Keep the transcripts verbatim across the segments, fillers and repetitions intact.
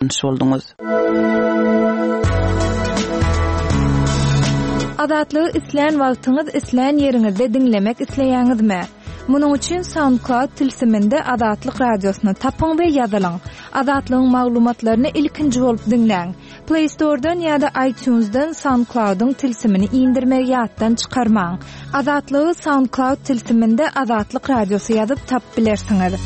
Tanyş bolduňyz. Azatlygy islän wagtyňyz, islän ýeriňizde diňlemek isleýäňizmi? Munuň üçin SoundCloud tilsiminde Azatlyk radiosyny tapyň we ýazylyň. Azatlygyň maglumatlaryny ilkinji bolup diňläň. Play Store'dan ýa-da iTunes'dan SoundCloud'yň tilsimini indirmegi ýatdan çykarmaň. Azatlygy SoundCloud tilsiminde Azatlyk radiosy ýazyp tapyp bilersiňiz.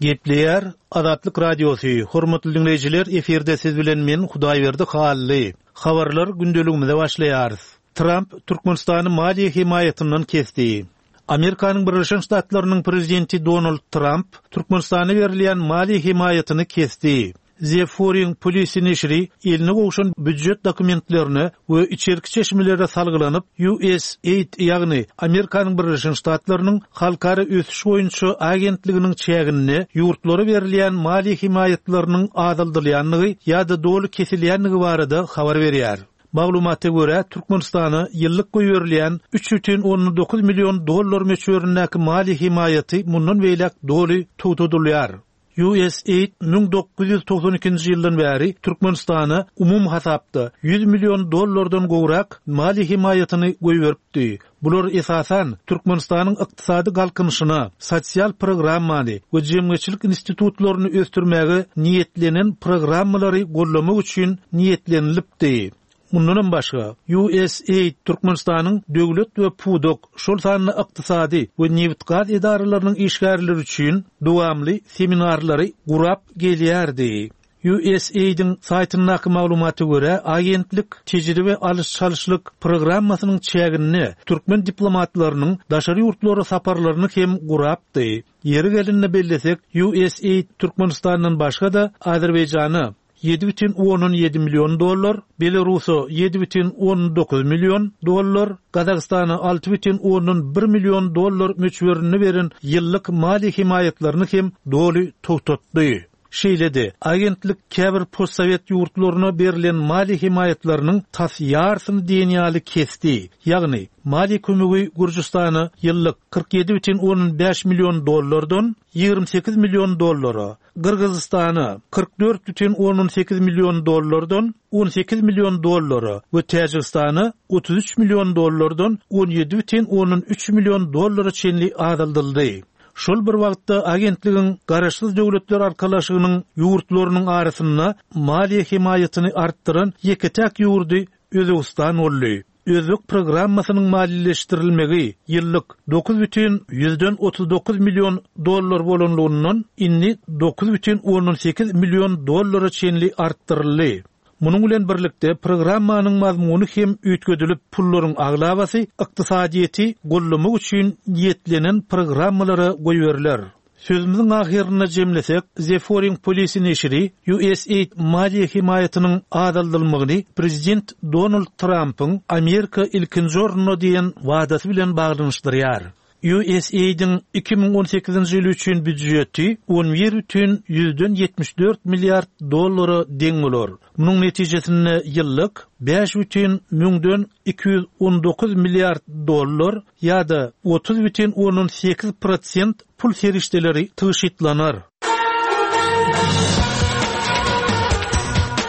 Gepleýär Azatlyk Radiosy. Hormatly dinleýjiler, efirde siz bilen men Hudaýberdi Hally. Habarlar gündeligimize başlaýarys. Tramp Türkmenistany maliýe hemaýatyndan kesdi. Amerikanyň Birleşen Ştatlarynyň prezidenti Donald Tramp Türkmenistana berilýän maliýe hemaýatyny kesdi. The Foreign Policy neşiri eline gowşan býujet dokumentlerine we içerki çeşmelere salgylanyp U S A I D, ýagny Amerikanyň Birleşen Ştatlarynyň halkara ösüş boýunça agentliginiň çäginde ýurtlara berilýän maliýe hemaýatlarynyň azaldylýandygy ýa-da doly kesilýändigi barada habar berýär. Maglumata görä, Türkmenistana ýyllyk goýberilýän üç bütin ondan dokuz million dollar möçberindäki maliýe hemaýaty mundan beýläk doly togtadylýar. U S A I D müň dokuz ýüz togsan ikinji ýyldan bäri Türkmenistana umum hasapda ýüz million dollardan gowrak maliýe hemaýatyny goýberipdi. Bular esasan Türkmenistanyň ykdysady galkynyşyna, sosial programmany we jemgyýetçilik institutlaryny ösdürmäge niýetlenen programmalary gollamak üçin niýetlenilipdi. Mundanam başga, U S A I D Türkmenistanyň döwlet we pudak, şol sanda ykdysady we nebit-gaz edaralarynyň işgärleri üçin dowamly seminarlary gurap gelýärdi. U S A I D-iň saýtyndaky maglumata görä, agentlik tejribe alyş-çalyşlyk programmasynyň çäginde türkmen diplomatlarynyň daşary ýurtlara saparlaryny hem gurapdy. Ýeri gelende bellesek, U S A I D Türkmenistandan başga-da Azerbaýjana ýedi bütin ondan ýedi million dollar, Belarusa ýedi bütin ondan dokuz million dollar, Gazagystana alty bütin ondan bir million dollar möçberinde beren ýyllyk maliýe hemaýatlaryny hem doly togtatdy. Şeýle-de, agentlik käbir postsowet ýurtlaryna berilen maliýe hemaýatlarynyň tas ýarsyny diýen ýaly kesdi. Ýagny, maliýe kömegi Gürjüstana ýyllyk kyrk ýedi bütin ondan bäş million dollardan ýigrimi sekiz million dollara, Gyrgyzystana kyrk dört bütin ondan sekiz million dollardan on sekiz million dollara we Täjigistana otuz üç million dollardan on ýedi bütin ondan üç million dollara çenli azaldyldy. Şol bir wagtda agentligiň Garaşsyz Döwletler Arkalaşygynyň ýurtlarynyň arasynda maliýe hemaýatyny artdyran ýeke-täk ýurdy Özbegistan boldy. Özbek programmasynyň maliýeleşdirilmegi ýyllyk dokuz bütin ýüzden otuz dokuz million dollar bolanlygyndan indi dokuz bütin ondan sekiz million dollara çenli artdyryldy. Munuň bilen birlikde programmanyň mazmuny hem üýtgedilip, pullaryň aglabasy ykdysadyýeti gollamak üçin niýetlenen programmalara goýberiler. Sözümiziň ahyrynda jemlesek, The Foreign Policy neşiri U S A I D maliýe hemaýatynyň azaldylmagyny Prezident Donald Trumpyň Amerika ilkinji orunda diýen wadasy bilen baglanyşdyrýar. U S A I D-iň iki müň on sekizinji ýyly üçin býujeti on bir bütin ýüzden ýetmiş dört milliard dollara deň bolar. Munuň netijesinde ýyllyk bäş bütin müňden iki ýüz on dokuz milliard dollar ýa-da otuz bütin ondan sekiz prosent pul serişdeleri tygşytlanar.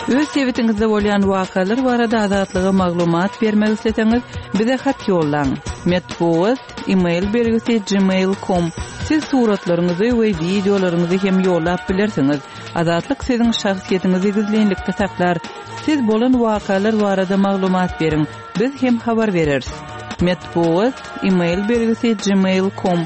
Öz sebitiňizde bolýan wakalar barada Azatlyga maglumat bermek isleseňiz, bize hat ýollaň. Metbugat, e-mail belgisi gmail nokta com. Siz suratlaryňyzy we wideolaryňyzy hem ýollap bilersiňiz. Azatlyk siziň şahsyýetiňizi gizlinlikde saklar. Siz bolan wakalar barada maglumat beriň. Biz hem habar bereris. Metbugat, e-mail belgisi gmail nokta com.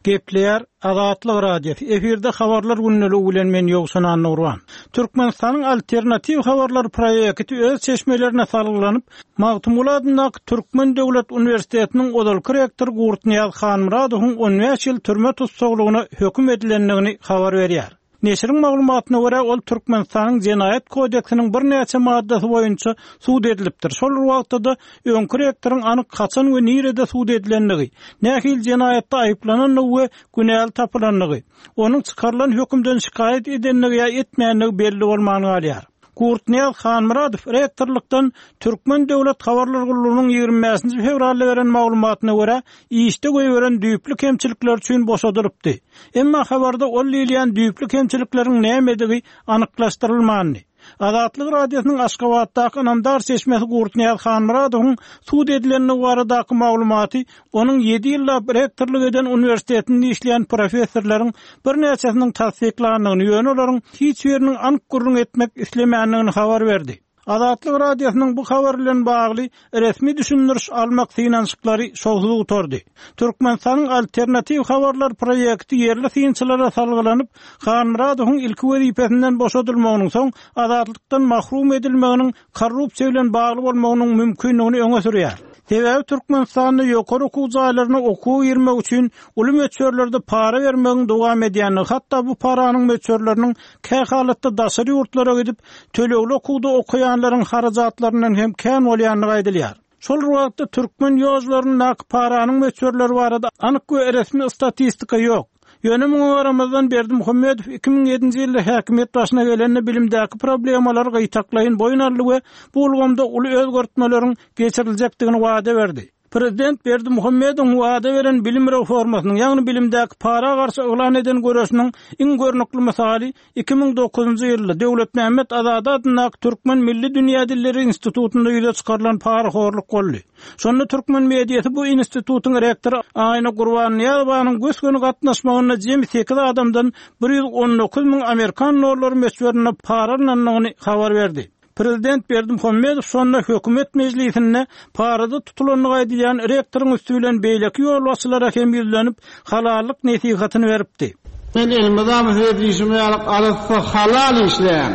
Gepleýär Azatlyk Radiosy. Efirde habarlar günlügi bilen men Ýowşan Annurwan. Türkmenistanyň alternatiw habarlar proýekti öz çeşmelerine salgylanyp, Magtymguly adyndaky Türkmen Döwlet Uniwersitetiniň ozalky rektory Gurtnyýaz Hanmyradowyň on bäş ýyl türme tussaglygyna höküm edilendigini habar berýär. Neşiriň maglumatyna görä, ol Türkmenistanyň Jenaýat kodeksiniň birnäçe maddasy boýunça sud edilipdir. Şol wagtda da öňki rektoryň anyk haçan we nirede sud edilendigi, nähili jenaýatda aýyplanandygy we günäli tapylandygy, onuň çykarylan hökümden şikaýat edendigi ýa etmändigi belli bolman galýar. Gurtnyýaz Hanmyradow rektorlykdan Türkmen döwlet habarlar gullugynyň ýigrimi bäşinji fewralda beren maglumatyna görä, işde goýberen düýpli kemçilikler üçin boşadylypdy. Emma habarda ol diýilýän düýpli kemçilikleriň nämedigi anyklaşdyrylmandy. Azatlyk Radiosynyň Aşgabatdaky ynamdar çeşmesi Gurtnyýaz Hanmyradowyň sud edilendigi baradaky maglumaty onuň ýedi ýyllap rektorlyk eden uniwersitetinde işleýän professorlaryň birnäçesiniň tassyklandygyny, ýöne olaryň hiç biriniň anyk gürrüň etmek islemändigini habar berdi. Azatlyk Radiosynyň bu habar bilen bagly resmi düşündiriş almak synanyşyklary şowsuz gutardy. Türkmenistanyň Alternatiw habarlar proýekti ýerli synçylara salgylanyp, Hanmyradowyň ilki wezipesinden boşadylmagynyň, soň azatlykdan mahrum edilmeginiň korrupsiýa bilen bagly bolmagynyň mümkindigini öňe sürýär. Sebäbi Türkmenistanda ýokary okuw jaýlaryna okuwa girmek üçin uly möçberlerde para bermegiň dowam edýändigi, hatda bu paranyň möçberleriniň kähalatda daşary ýurtlara gidip, tölegli okuwda okaýanlaryň harajatlaryndan hem kän bolýandygy aýdylýar. Şol bir wagtda türkmen ýollaryndaky paranyň möçberleri barada anyk we resmi statistika ýok. Ýöne muňa garamazdan Berdimuhamedow iki müň ýedinji ýylda häkimiýet başyna gelende bilimdäki problemalary gytaklaýyn boýun aldy we bu ulgamda uly özgertmeleriň geçiriljekdigini wada berdi. Prezident Berdimuhamedowyň wada beren bilim reformasynyň, ýagny bilimdäki para garşy yglan eden göreşiniň iň görnükli mysaly iki müň dokuzynjy ýylda Döwletmämmet Azady adyndaky Türkmen milli dünýä dilleri institutynda ýüze çykarylan parahorluk boldy. Şonda türkmen mediasy bu institutyň rektory Aýna Gurbannyýazowanyň gös-göni gatnaşmagynda jemi sekiz adamdan bir ýüz on dokuz müň amerikan dollary möçberinde para alnandygyny habar berdi. Prezident Berdimuhamedow şonda hökümet mejlisinde parada tutulandygy aýdylýan rektoryň üsti bilen beýleki ýolbaşçylara hem ýüzlenip, halallyk nesihatyny beripdi. Men elmydama size diýşim ýaly arassa halal işleýän.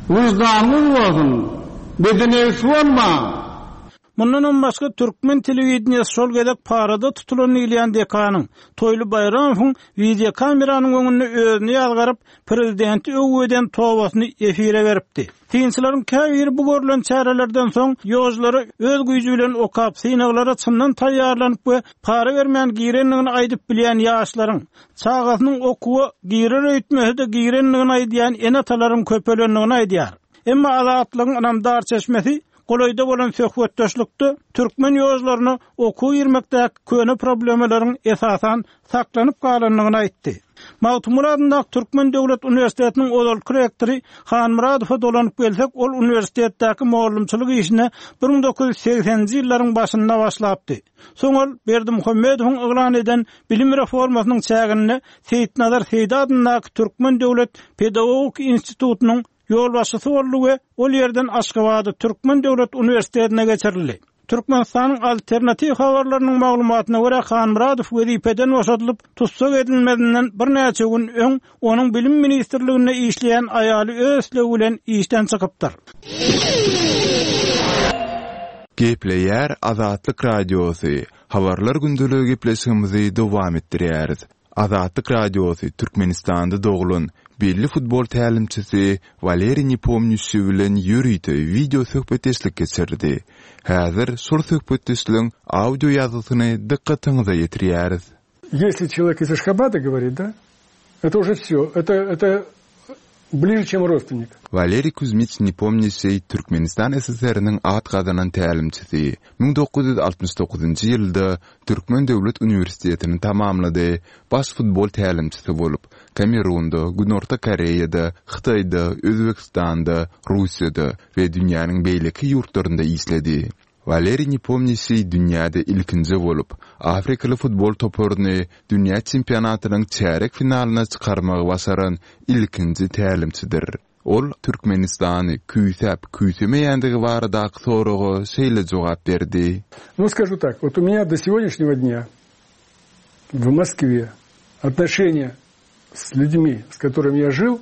Wyždanyňyz bolsun, bedenegi bolmaň. Mundanam başga türkmen telewideniýesi şol gezek parada tutulan diýilýän dekanyň Toýly Baýramowyň wideokameranyň öňünde özüni ýazgaryp, prezidenti öwgi eden tobasyny efire beripdi. Synçylaryň käbiri bu görülen çärelerden soň ýolculara öz güýji bilen okap, synaglara çyndan taýýarlanyp we para bermän girendigini aýdyp bilýän ýaşlaryň, çagasynyň okuwa girer öýtmesi-de girendigini aýdýan ene-atalaryň köpelendigini aýdýar. Emma Azatlygyň ynamdar çeşmesi golaýda bolan söhbetdeşlikde türkmen ýolcularyna okuw girmekdäki köne problemalaryň esasan saklanyp galandygyny aýtdy. Magtymguly adyndaky Türkmen döwlet uniwersitetiniň ozalky rektory Hanmyradowa dolanyp gelsek, ol uniwersitetdäki mugallymçylyk işine bir müň dokuz ýüz segseninji ýyllaryň başynda başlapdy. Soň ol Berdimuhamedowyň yglan eden bilim reformasynyň çäginde Seýitnazar Seýdi adyndaky Türkmen döwlet pedagogik institutynyň ýolbaşçysy boldy we ol ýerden Aşgabada Türkmen döwlet uniwersitetine geçirildi. Türkmenistanyň alternatiw habarlarynyň maglumatyna görä Hanmyradow wezipeden boşadylyp, tussag edilmezinden birnäçe gün öň onuň bilim ministrliginde işleýän aýaly öz islegi bilen işden çykypdyr. Gepleýär Azatlyk Radiosy. Habarlar gündeligi gepleşigimizi dowam etdirýäris. Azatlyk Radiosy Türkmenistanda doglan belli futbol tälimçisi Waleriý Nepomnýuşçi bilen ýörite wideo söhbetdeşlik geçirdi. Häzir şol söhbetdeşligiň audio ýazgysyny dykgatyňyza ýetirýäris. Если человек из Ашхабада говорит, да, это уже все, это, это ближе, чем родственник. Waleriý Kuzmich Nepomnýuşçi Türkmenistan S S R-niň at gazanan tälimçisi. müň dokuz ýüz altmyş dokuzynjy ýylda Türkmen döwlet uniwersitetini tamamlady. Baş futbol tälimçisi bolup, Kamerunda, Günorta Koreýada, Hytaýda, Özbegistanda, Russiýada we dünýäniň beýleki ýurtlarynda işledi. Waleriý Nepomnýuşçi dünýäde ilkinji bolup, Afrikaly futbol toparyny dünýä çempionatynyň çärek finalyna çykarmagy başaran ilkinji tälimçidir. Ol Türkmenistany küýsäp küýsemeýändigi baradaky soraga şeýle jogap berdi. Ну, скажу так, вот у меня до сегодняшнего дня в Москве отношения с людьми, с которыми я жил,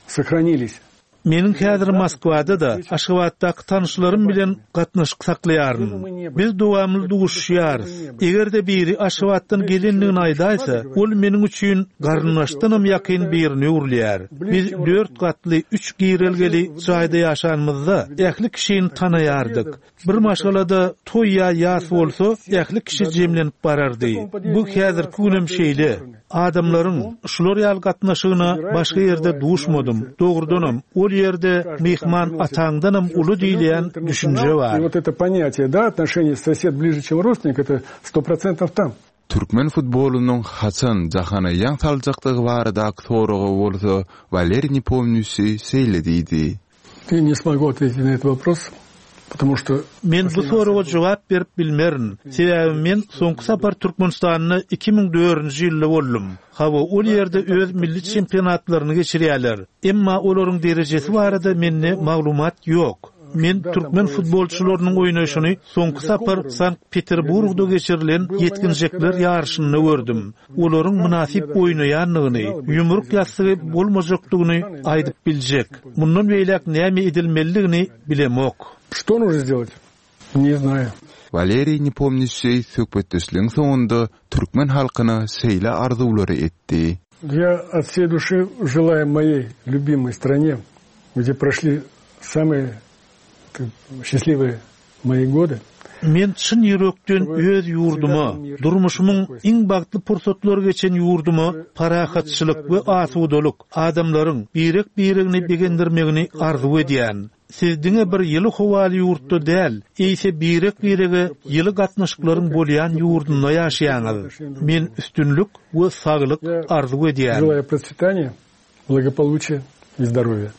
сохранились. Meniň häzir Moskwada-da Aşgabatdaky tanyşlarym bilen gatnaşyk saklaýaryn. Biz dowamly duşuşýarys. Eger-de biri Aşgabatdan gelendigini aýdaýsa, ol meniň üçin garyndaşdanam ýakyn birini öwrülýär. Biz dört gatly üç girelgeli jaýda ýaşanymyzda ähli kişini tanaýardyk. Bir maşgalada toý ýa ýas bolsa, ähli kişi jemlenip barardy. Bu häzirki günem şeýle. Adamlaryň şular ýaly gatnaşygyna başga ýerde duşmadym. Dogrudanam ol ýerde myhman ataňdanam uly diýilýän düşünje bar. И вот это понятие, да, отношение сосед ближе, чем родственник, это сто процентов там. Türkmen futbolynyň haçan jahana ýaň saljakdygy baradaky soraga bolsa Waleriý Nepomnýaşiý şeýle diýdi. Я не смогу ответить на этот вопрос, потому что Men bu soraga jogap berip bilmerin. Sebäbi men soňky sapar Türkmenistanda iki müň dördünji ýylda boldum. Hawa ol ýerde öz milli çempionatlaryny geçirýärler. Emma olaryň derejesi barada mende maglumat ýok. Men türkmen futbolçylarynyň oýnaşyny soňky sapar Sankt Peterburgda geçirilen ýetginjekler ýaryşynda gördüm. Olaryň mynasyp oýnaýandygyny, ýumruk ýassygy bolmajakdygyny aýdyp biljek. Mundan beýläk näme edilmelidigini bilemok. Что нужно сделать? Не знаю. Waleriý Nepomnýaşiý söhbetdeşligiň soňunda türkmen halkyna şeýle arzuwlary etdi. Я от всей души желаю моей любимой стране, где прошли самые счастливые мои годы. Men çyn ýürekden öz ýurduma, durmuşymyň iň bagtly pursatlary geçen ýurduma parahatçylyk we asudalyk, adamlaryň birek-biregini begendirmegini arzuw edýän. Siz diňe bir ýyly howaly ýurtda däl, eýse birek-birege ýyly gatnaşyklaryň bolýan ýurdunda ýaşaýaňyz. Men üstünlik we saglyk arzuw edýän. Желаю процветания, благополучия и здоровья.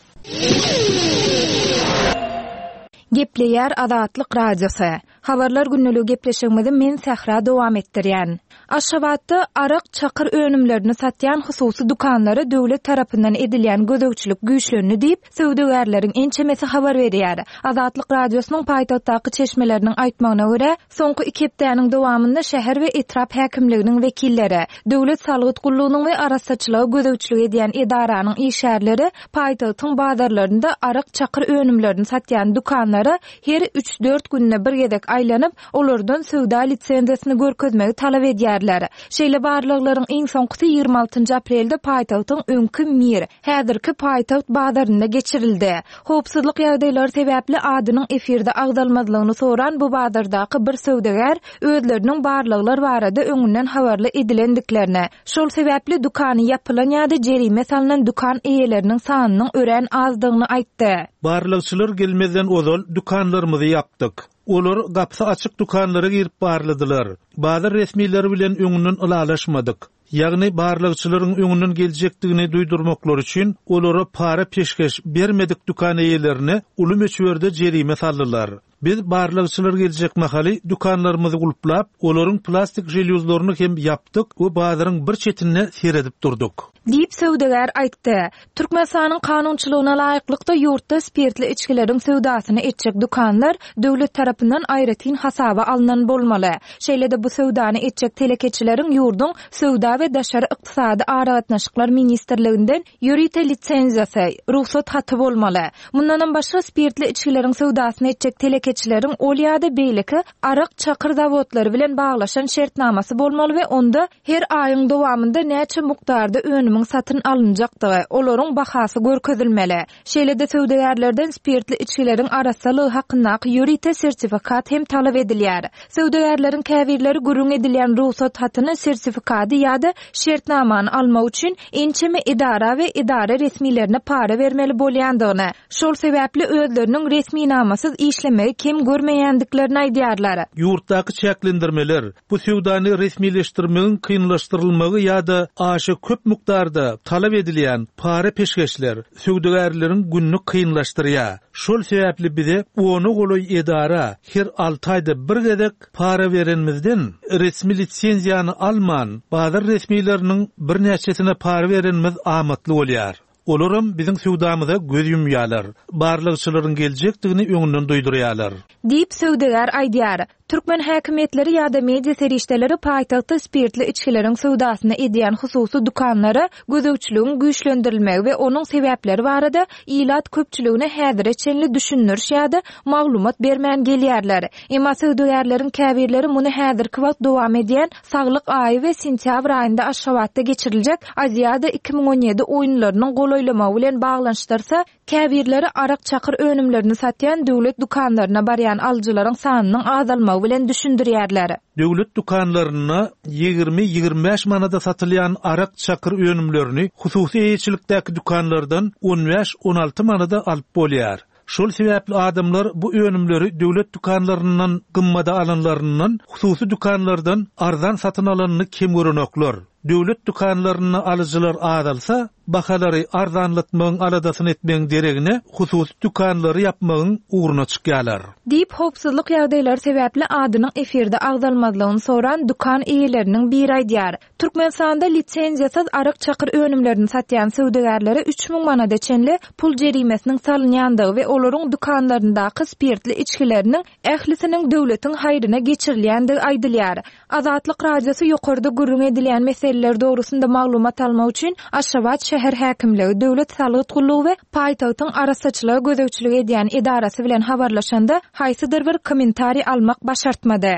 Gepleýär Azatlyk Radiosy. Habarlar günlügi gepleşigimizi men Sähra dowam etdirýän. Aşgabatda arak çakyr önümlerini satýan hususy dükanlara döwlet tarapyndan edilýän gözegçilik güýçlendi diýip, söwdagärleriň ençemesi habar berýär. Azatlyk Radiosynyň paýtagtdaky çeşmeleriniň aýtmagyna görä, soňky iki hepdäniň dowamynda şäher we etrap häkimliginiň wekilleri, döwlet salgyt gullugynyň we arassaçylyga gözegçilik edýän edaranyň işgärleri paýtagtyň bazarlarynda arak çakyr önümlerini satýan dükanlara her üç-dört günde bir gezek aýlanyp, olardan söwda lisenziýasyny görkezmegi talap edýärler. Şeýle barlyklaryň iň soňkusy ýigrimi altynjy aprelde paýtagtyň öňki Mir, häzirki paýtagt bazarynda geçirildi. Howpsuzlyk ýagdaýlary sebäpli adynyň efirde agzalmazlygyny soran bu bazardaky bir söwdagär özleriniň barlyklar barada öňünden habarly edilendiklerini, şol sebäpli dükany ýapylan ýa-da jerime salynan dükan eýeleriniň sanynyň örän azdygyny aýtdy. Barlykçylar gelmezden ozal dükanlarymyzy ýapdyk. Olar gapysy açyk dükanlara girip barladylar. Bazar resmileri bilen öňünden ylalaşmadyk. Ýagny barlykçylaryň öňünden geljekdigini duýdurmaklar üçin olara para peşgeş bermedik dükan eýelerine uly möçberde jerime saldylar. Biz barlykçylar geljek mahaly dükanlarymyzy gulplap, olaryň plastik želýuzlaryny hem ýapdyk we bazaryň bir çetinde seredip durduk. Diýip söwdagär aýtdy. Türkmenistanyň kanunçylygyna laýyklykda ýurtda spirtli içgileriň söwdasyny etjek dükanlar döwlet tarapyndan aýratyn hasaba alnan bolmaly. Şeýle-de bu söwdany etjek telekeçileriň ýurduň söwda we daşary ykdysady aragatnaşyklar ministrliginden ýörite lisenziýasy, rugsat haty bolmaly. Mundanam başga spirtli içgileriň söwdasyny etjek telekeçileriň ol ýa-da beýleki arak çakyr zawodlary bilen baglaşan şertnamasy bolmaly we onda her aýyň dowamynda näçe mukdarda önümiň satyn alynjakdygy, olaryň bahasy görkezilmeli. Şeýle-de söwdagärlerden spirtli içgileriň arassalygy hakyndaky ýörite sertifikat hem talap edilýär. Söwdagärleriň käbirleri gürrüň edilýän rugsat hatyny, sertifikady ýa-da şertnamany almak üçin ençeme edara we edara resmilerine para bermeli bolýandygyny, şol sebäpli özleriniň resminamasyz işlemegi kem görmeýändiklerini aýdýarlar. Ýurtdaky çäklendirmeler, bu söwdany resmileşdirmegiň kynlaşdyrylmagy ýa-da aşa köp mukdarda talap edilýän para peşgeşler söwdagärleriň gününi kynlaşdyrýar. Şol sebäpli bize ona golaý edara her alty aýda bir gezek para berenimizden resmi lisenziýany alman, bazar resmileriniň birnäçesine para berenimiz amatly bolýar. Olaram biziň söwdamyza göz ýumýarlar. Barlykçylaryň geljekdigini öňünden duýdurýarlar. Diýip söwdagär aýdýar. Türkmen häkimiýetleri ýa-da media serişdeleri paýtagtda spirtli içgileriň söwdasyny edýän hususy dükanlara gözegçiligiň güýçlendirilmegi we onuň sebäpleri barada ilat köpçüligine häzire çenli düşündiriş ýa-da maglumat bermän gelýärler. Emma söwdagärleriň käbirleri muny häzirki wagt dowam edýän saglyk aýy we sentýabr aýynda Aşgabatda geçiriljek Aziýada iki müň on ýedi oýunlarynyň golaýlamagy bilen baglanyşdyrsa, käbirleri arak çakyr önümlerini satýan döwlet dükanlaryna barýan alyjylaryň sanynyň azalmagy gymmatlanmagy bilen düşündirýärler. Döwlet dükanlarynda ýigrimi-ýigrimi bäş manada satylýan arak çakyr önümlerini hususy eýeçilikdäki dükanlardan on bäş-on alty manada alyp bolýar. Şol sebäpli adamlar bu önümleri döwlet dükanlaryndan gymmada alanlaryndan hususy dükanlardan arzan satyn alanyny kem görenoklar. Döwlet dükanlarynda alyjylar azalsa, bahalary arzanlatmagyň aladasyny etmegiň deregine hususy dükanlary ýapmagyň ugruna çykýarlar. Diýip, howpsuzlyk ýagdaýlary sebäpli adynyň efirde agzalmazlygyny soran dükan eýeleriniň biri aýdýar. Türkmenistanda lisenziýasyz arak çakyr önümlerini satýan söwdagärlere üç müň manada çenli pul jerimesiniň salynýandygy we olaryň dükanlaryndaky spirtli içgileriniň ählisiniň döwletiň haýryna geçirilýändigi aýdylýar. Azatlyk Radiosy ýokarda gürrüň edilýän meseleler dogrusynda maglumat almak üçin Aşgabat şäher häkimligi, Döwlet salgyt gullugy we paýtagtyň arassaçylyga gözegçilik edýän edarasy bilen habarlaşanda haýsydyr bir kommentariý almak başartmady.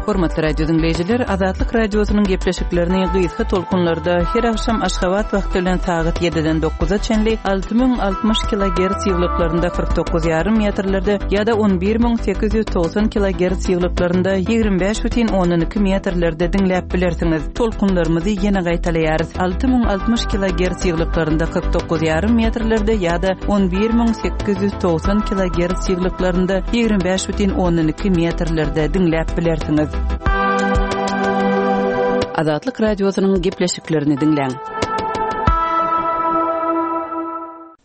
Hormatly radio dinleýjiler, Azatlyk Radiosynyň gepleşiklerini gysga tolkunlarda her akşam Aşgabat wagty bilen sagat ýediden dokuza çenli alty müň altmyş kilogertz ýyglyklarynda kyrk dokuz ýarym metrlerde ýa-da on bir müň sekiz ýüz togsan kilogertz ýyglyklarynda ýigrimi bäş bütin ondan iki metrlerde diňläp bilersiňiz. Tolkunlarymyzy ýene gaýtalaýarys. Alty müň altmyş kilogertz ýyglyklarynda kyrk dokuz ýarym metrlerde ýa-da on bir müň sekiz ýüz togsan kilogertz ýyglyklarynda ýigrimi bäş bütin ondan iki metrlerde diňläp bilersiňiz. Azatlyk Radiosynyň gepleşiklerini diňläň.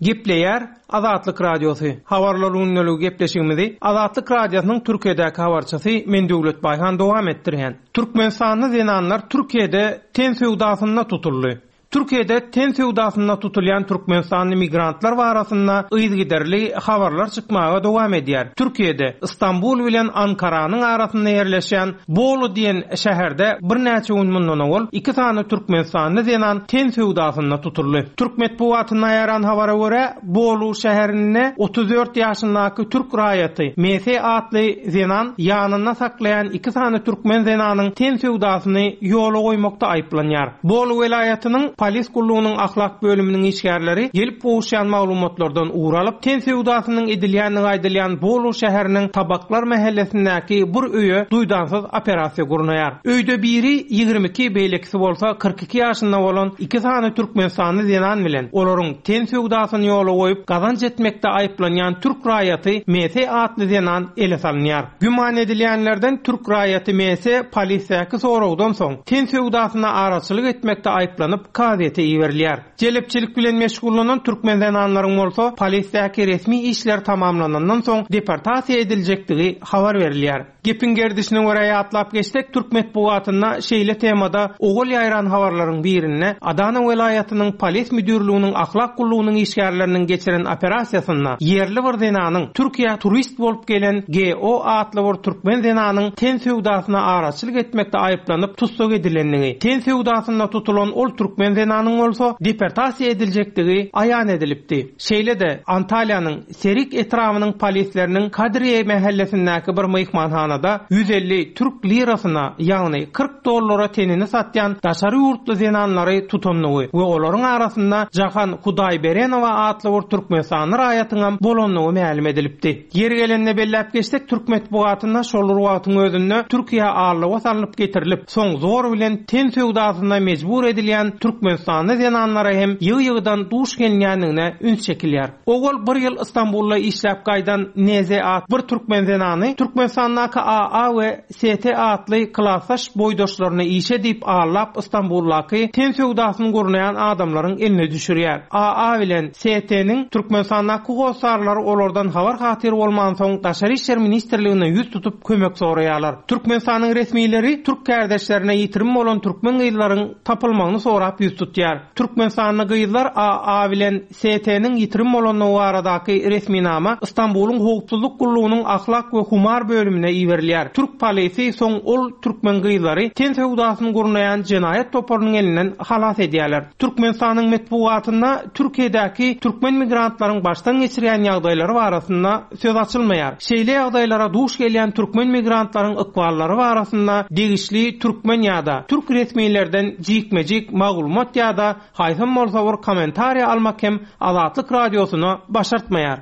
Gepleýär Azatlyk Radiosy. Habarlar gündeligi gepleşigimizi Azatlyk Radiosynyň Türkiýedäki habarçysy Men Döwlet Baýhan dowam etdirýän. Türkmenistanly zenanlar Türkiýede ten söwdasynda tutuldy. Türkiýede ten söwdasynda tutulýan türkmenistanly migrantlar barasynda yzygiderli habarlar çykmaga dowam edýär. Türkiýede Istanbul bilen Ankaranyň arasynda ýerleşen Bolu diýen şäherde birnäçe gün mundan owal iki sany türkmenistanly zenan ten söwdasynda tutuldy. Türk metbugatynda ýaran habara görä, Bolu şäherinde otuz dört ýaşyndaky türk raýaty M S atly zenan ýanynda saklaýan iki sany türkmen zenanyň ten söwdasyny ýola goýmakda aýyplanýar. Bolu welaýatynyň polis gullugynyň ahlak bölüminiň işgärleri gelip gowuşýan maglumatlardan ugur alyp, ten söwdasynyň edilýänligi aýdylýan Bolu şäheriniň Tabaklar mahallesindäki bir öýe duýdansyz operasiýa gurnaýar. Öýde biri ýigrimi iki, beýlekisi bolsa kyrk iki ýaşynda bolan iki sany türkmenistanly zenan bilen olaryň ten söwdasyny ýola goýup gazanç etmekde aýyplanýan türk raýaty M S atly zenan ele salynýar. Güman edilýänlerden türk raýaty M S polisdäki soragdan soň ten söwdasyna araçylyk etmekde aýyplanyp kazyýete iberilýär. Jelepçilik bilen meşgullanan türkmen zenanlaryň bolsa polisdäki resmi işler tamamlanandan soň deportasiýa ediljekdigi habar berilýär. Gepiň gerdişine görä ýatlap geçsek, türk metbugatynda şeýle temada ogul ýaýran habarlaryň birinde Adana welaýatynyň polis müdürliginiň ahlak gullugynyň işgärleriniň geçiren operasiýasynda ýerli bir zenanyň Türkiýä turist bolup gelen G O atly bir türkmen zenanyň ten söwdasyna araçylyk etmekde aýyplanyp tussag edilendigi, ten söwdasynda tutulan ol türkmen zenanyň bolsa deportasiýa ediljekdigi aýan edilipdi. Şeýle-de Antalýanyň Serik etrabynyň polisleriniň Kadriye mahallesindäki bir myhmanhanada ýüz elli türk lirasyna, ýagny kyrk dollara tenini satýan daşary ýurtly zenanlary tutandygy we olaryň arasynda Jahan Hudaýberenowa atly bir türkmenistanly raýatyň bolandygy mälim edilipdi. Ýeri gelende belläp geçsek, türk metbugatynda şol bir wagtyň özünde Türkiýä allyga salnyp getirilip, soň zor bilen ten söwdasyna mejbur edilýän türkmenistanly zenanlara hem ýygy-ýygydan duş gelinýändigine üns çekilýär. Ogul bir ýyl Istanbulda işläp gaýdan N Z at bir türkmen zenany Türkmenistandaky A A we S T atly klasdaş boýdaşlaryny işe diýip allap Istanbuldaky ten söwdasyny gurnaýan adamlaryň eline düşürýär. A A bilen S T-niň Türkmenistandaky hossarlary olardan habar hatyr bolman soň Daşary İşler Ministrligine ýüz tutup kömek soraýarlar. Türkmenistanyň resmileri türk kardeşlerine ýitirim bolan türkmen gyzlaryň tapylmagyny sorap ýüz tutýar. Türkmenistanly gyzlar A A bilen S T-niň ýitirim bolandygy baradaky resminama Istanbulyň howpsuzlyk gullugynyň ahlak we humar bölümine iberilýär. Türk polisi soň ol türkmen gyzlary ten söwdasyny gurnaýan jenaýat toparynyň elinden halas edýärler. Türkmenistanyň metbugatynda Türkiýedäki türkmen migrantlaryň başdan geçirýän ýagdaýlary barasynda söz açylmaýar. Şeýle ýagdaýlara duş gelýän türkmen migrantlaryň ykballary barasynda degişli türkmen ýa-da türk resmilerden jikme-jik maglumat Maglumat ýa-da haýsam bolsa bir kommentariýa almak hem Azatlyk Radiosyna başartmaýar.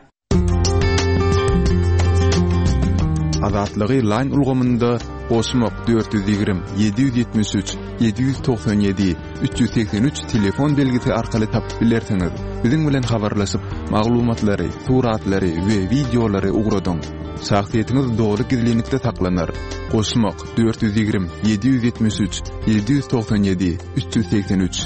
Azatlygy Line ulgamynda goşmak dört ýüz ýigrimi, ýedi ýüz ýetmiş üç, ýedi ýüz togsan ýedi, üç ýüz segsen üç telefon belgisi arkaly tapyp bilersiňiz. Biziň bilen habarlaşyp, maglumatlary, suratlary we wideolary ugradyň. Şahsyýetiňiz doly gizlinlikde saklanar. Goşmak dört ýüz ýigrimi, ýedi ýüz ýetmiş üç, ýedi ýüz togsan ýedi, üç ýüz segsen üç.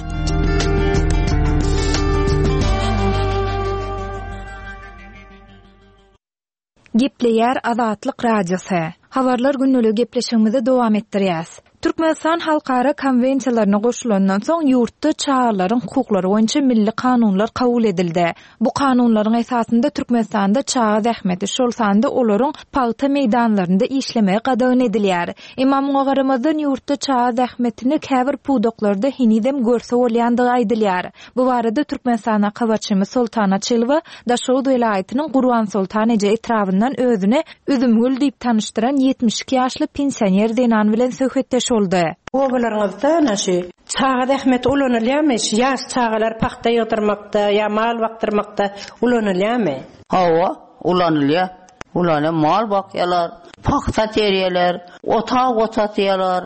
Gepleýär Azatlyk Radiosy. Habarlar günlügi gepleşigimizi dowam etdirýäs. Türkmenistan halkara konwensiýalaryna goşulandan soň ýurtda çagalaryň hukuklary boýunça milli kanunlar kabul edildi. Bu kanunlaryň esasynda Türkmenistanda çaga zähmeti, şol sanda olaryň pagta meýdanlarynda işlemegi gadagan edilýär. Emma muňa garamazdan ýurtda çaga zähmetini käbir pudaklarda henizem görse bolýandygy aýdylýar. Bu barada Türkmenistana habarçymyz Soltan Açylowa Daşoguz welaýatynyň Gurbansoltan eje etrabyndan özüne Üzümgül diýip tanyşdyran ýetmiş iki ýaşly pensioner zenan bilen söhbetdeş boldy. Obalaryňyzda ana şu çaga zähmeti ulanylýarmy? Şu ýaş çagalar pagta ýygdyrmakda ýa mal bakdyrmakda ulanylýarmy? Hawa, ulanylýar. Ulanýar, mal bakýarlar, pagta terýärler, otag otatýarlar.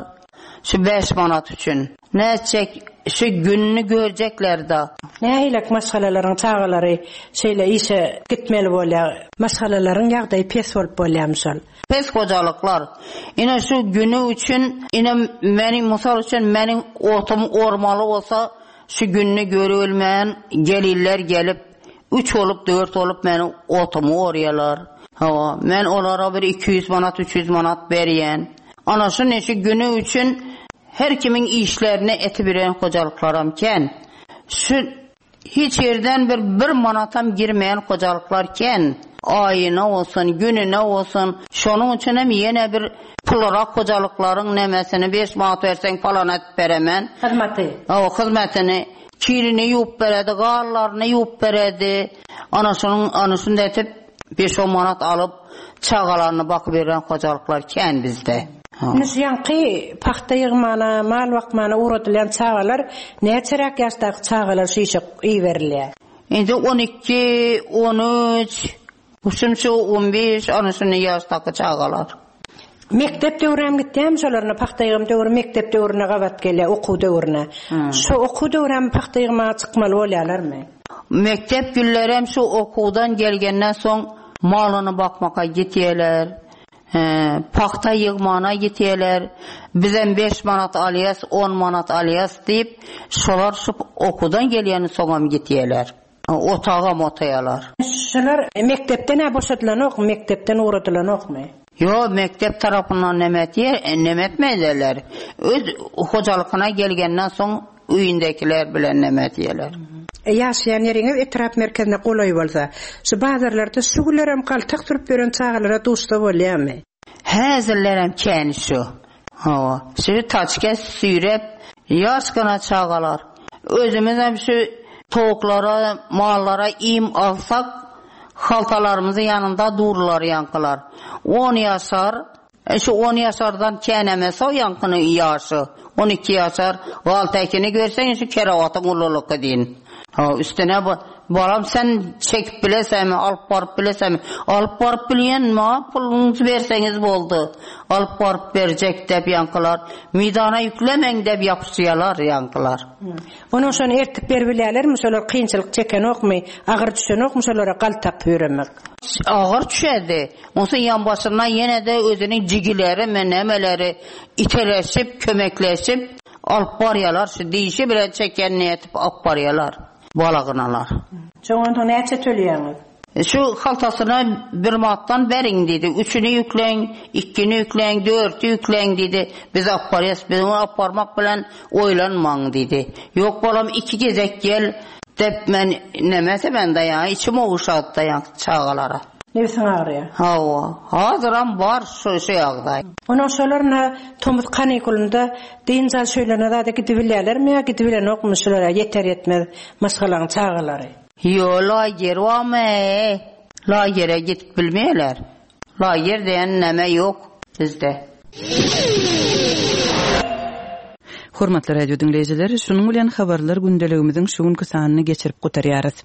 Şu bäş manat üçin. Nätjek, şu gününi görjekler da. Nähilek maşgalalaryň çagalary şeýle işe gitmeli bolýar? Maşgalalaryň ýagdaýy pes bolup bolýarmy şol? Pes hojalyklar. Ine şu günü üçin, ine meni mysal üçin meniň otum ormaly bolsa, şu gününi görülmän gelirler gelip, üç bolup, dört bolup meni otumy orýarlar. Hawa, men olara bir iki ýüz manat, üç ýüz manat berýän. Ana şu neşe günü üçin her kimin işlerine eti biren hojalyklaram ken. Şu hiç yerden bir, bir manatam girmeyen hojalyklar ken. Ayına olsun, gününe olsun. Şonun için hem yine bir pulrak hojalyklaryň nemesini beş manat versen falan et beremen. Hizmeti. O hizmetini kirini yup beredi, garlaryny yup beredi. Ana şunun, ana şunu da etip beş on manat alıp çağalarını bakıp veren hojalyklar ken bizde. Ha. Indi şu ýaňky pagta ýygmana, mal bakmana uğradylan çagalar näçeräk ýaşdaky çagalar şu işe iberilýär? Indi on iki, on üç, şunça on beş, ana şunu ýaşdaky çagalar. Mekdep döwrem gitýärmi şolarna pagta ýygym döwri mekdep döwrüne gabat gelýär, okuw döwrüne. Hmm. Şu okuw döwrem pagta ýygmaga çykmaly bolýarlarmy? Mekdep günlerem şu okuwdan gelgenden soň malyny bakmaka gitýärler. He, pagta ýygmana gitýärler. Bizem beş manat alýas, on manat alýas diýip, şolar şu okuwdan gelýäni soňam gitýärler. Otaga motaýarlar. Şolar mekdepden hä boşadylanok, mekdepden ugradylanokmy? Yo, mektep tarapyndan nemet yer, nemet meýlerler. Öz hojalygyna gelgenden soň öýündekiler bilen nemet ýerler. E, ýaşaýan ýeriňiz etrap merkezine golaý bolsa, şu bazarlarda şu günlerem galtak sürüp ýören çagalara duşsa bolýarmy? Häzirlerem kän şu. Hawa, şu taçka süýrep ýaşkana çagalar. Özümiz hem şu towuklara, mallara im alsak, haltalarymyzy ýanynda dururlar ýankylar. On ýaşar, e, şu on ýaşardan kän emez o ýankyny ýaşy. On iki ýaşar, galtakini görseň şu kerewatyň ululygy diýin. Ha, üstüne bu, balam sen çekip bilesemi, alyp baryp bilesemi? Alyp baryp bilýän, ma puluňyzy berseňiz boldy. Alyp baryp berjek dep ýankylar. Meýdana ýüklemeň dep ýapyşýarlar ýankylar. Onuň şony ertip berip bilýärlermi? Şolar kynçylyk çekenokmy? Agyr düşenokmy şolara galtak ýöremek? Agyr düşedi. Onsoň ýan başyndan ýene de özüniň jigileri, menemeleri iteleşip, kömekleşip alyp barýarlar. Şu dişi bilen çeken niýetip alyp barýarlar. Balagynalar. Çoňonda näçe tölýäňiz? E, şu haltasyna bir manatdan beriň diýdi. Üçüni ýükläň, ikini ýükläň, dörtü ýükläň diýdi. Biz alyp barýas, biz ony alyp barmak bilen oýlanmaň diýdi. Ýok bolam iki gezek gel dep men nemese men daýan, içim oguşat daýan çagalara. Nebsiň agyrýar? Hawa, hazyram bar şu, şu ýagdaý. Onuň şolaryna tomus kanikulunda dynç alyş öýlerine zada gidip bilýärlermi ýa gidip bilenokmy şulara ýeter ýetmez maşgalaň çagalary? Ýo, lager barmy? Lagere gidip bilmeýärler. Lager diýen näme ýok bizde. Hormatly radio diňleýjiler, şunuň bilen habarlar gündeligimiziň şu günki sanyny geçirip gutarýarys.